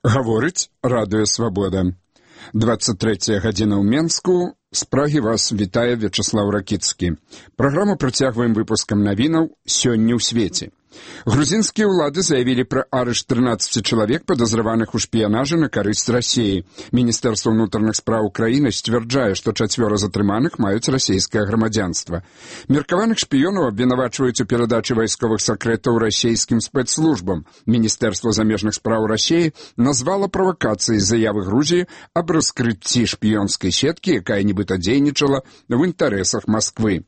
Гаворыць Радыё Свабода. 23 гадзіна ў Менску. З Прагі вас вітае Вячеслав Ракіцкі. Праграму працягваем выпускам навінаў «Сёння ў свеце». Грузинские улады заявили про арышт 13 человек, подозреваных у шпионаже на карысць России. Министерство внутренних справ Украины стверджае, что 4 затрыманых маюць расійскае грамадзянства. Меркаваных шпионов обвинавачивают у передачи войсковых секретов российским спецслужбам. Министерство замежных справ России назвало провокацией заявы Грузии об раскрытии шпионской сетки, якая нібыта дзейнічала в інтарэсах Москвы.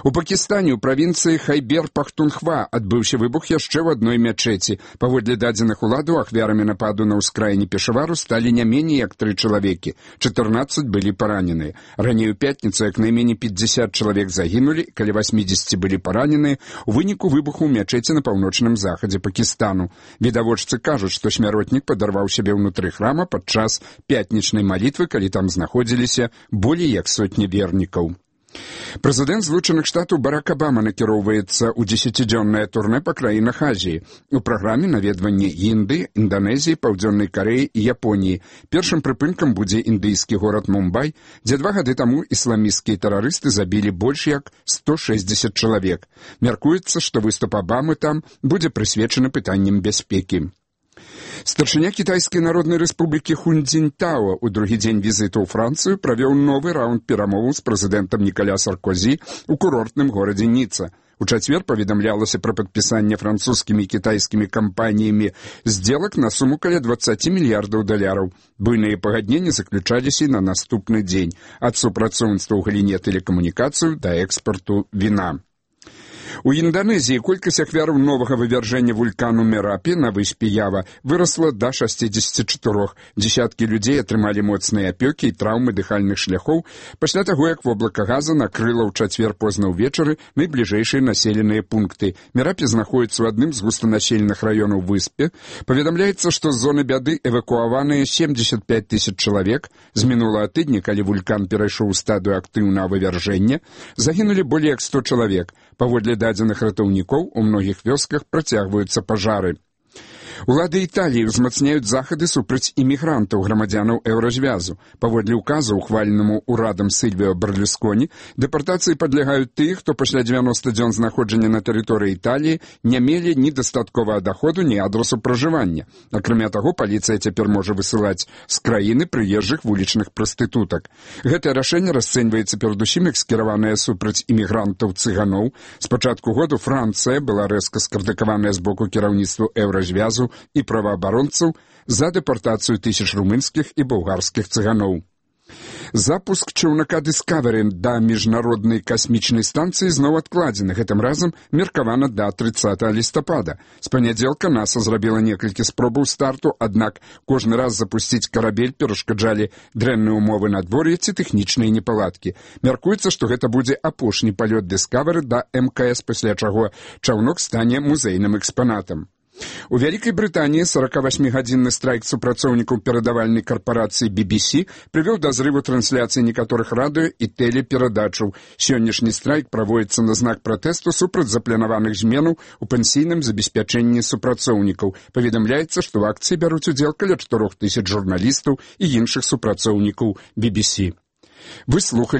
У Пакістане ў правінцыі Хайбер-Пахтунхва адбыўся выбух яшчэ ў адной мячэці. Паводле дадзеных уладаў, ахвярамі нападу на ўскраіне Пешавару сталі не меней як 3 чалавекі. 14 былі параненыя. Раней у пятніцу як найменей 50 чалавек загінулі, каля 80 былі параненыя у выніку выбуху ў мячэці на паўночным захадзе Пакістану. Відавочцы кажуць, што смяротнік падарваў сябе ўнутры храма падчас пятнічнай малітвы, калі там знаходзіліся болей як сотні вернікаў. Прэзідэнт Злучаных Штатаў Барак Абама накіроўваецца ў 10-дзённае турнэ па краінах Азіі. У праграме наведванні Індыі, Інданезіі, Паўдзённай Карэі і Японіі. Першым прыпынкам будзе індыйскі горад Мумбай, дзе 2 гады таму ісламісцкія тэрарысты забілі больш як 160 чалавек. Мяркуецца, што выступ Абамы там будзе прысвечаны пытанням бяспекі. Старшыня Кітайскай Народнай Рэспублікі Хун Цзіньтао ў другі дзень візіту ў Францыю правёў новы раунд перамоваў з прэзідэнтам Нікаля Саркозі ў курортным горадзе Ніца. У чацвер паведамлялася пра падпісанне французскімі і кітайскімі кампаніямі здзелак на суму каля $20 мільярдаў. Буйныя пагадненні заключаліся і на наступны дзень ад супрацоўніцтва ў галіне тэлекамунікацыяў да экспарту віна. У Інданезіі колькасць ахвяраў новага вывяржэння вулкану Мерапі на выспе Ява вырасла да 64. Дзесяткі людзей атрымалі моцныя апёкі і траўмы дыхальных шляхоў пасля таго, як воблака газа накрыла ў чацвер позна ўвечары найбліжэйшыя населеныя пункты. Мерапі знаходіцца ў адным з густанаселеных раёнаў выспе. Паведамляецца, што з зоны бяды эвакуаваныя 75 000 чалавек. З мінулага тыдня, калі вулкан перайшоў у стадыю актыўнага вывяржэння, загінулі болей як 100 чалавек. Паводле дадзеных ратаўнікоў у многіх вёсках працягваюцца пажары. Улады Італіі ўзмацняюць захады супраць імігрантаў, грамадзянаў еўразвязу. Паводле ўказу, ухваленаму ўрадам Сільвіо Берлусконі, дэпартацыі падлягаюць тыя, хто пасля 90 дзён знаходжання на тэрыторыі Італіі не мелі ні дастатковага даходу, ні адрасу пражывання. Акрамя таго, паліцыя цяпер можа высылаць з краіны прыезджых вулічных прастытутак. Гэтае рашэнне расцэньваецца перадусім як скіраванае супраць імігрантаў-цыганоў. З пачатку году Францыя была рэзка скрытыкаваная з боку кіраўніцтва еўразвязу і праваабаронцаў за дэпартацыю тысяч румынскіх і балгарскіх цыганоў. Запуск чаўнака Discovery да міжнароднай касмічнай станцыі зноў адкладзены, гэтым разам меркавана да 30 лістапада. З панядзелка НАСА зрабіла некалькі спробаў старту, аднак кожны раз запусціць карабель перашкаджалі дрэнныя ўмовы надвор'я ці тэхнічныя непаладкі. Мяркуецца, што гэта будзе апошні палёт Discovery да МКС, пасля чаго чаўнок стане музейным экспанатам. У Вялікай Брытаніі 48-гадзінны страйк супрацоўнікаў перадавальнай карпорацыі BBC прывёў да зрыву трансляцыі некаторых радыё і тэлеперадачаў. Сённяшні страйк праводзіцца на знак пратэсту супраць запланаваных зменаў у пенсійным забеспячэнні супрацоўнікаў. Паведамляецца, што ў акцыі бяруць удзел каля 4000 журналістаў і іншых супрацоўнікаў BBC. Вы слухалі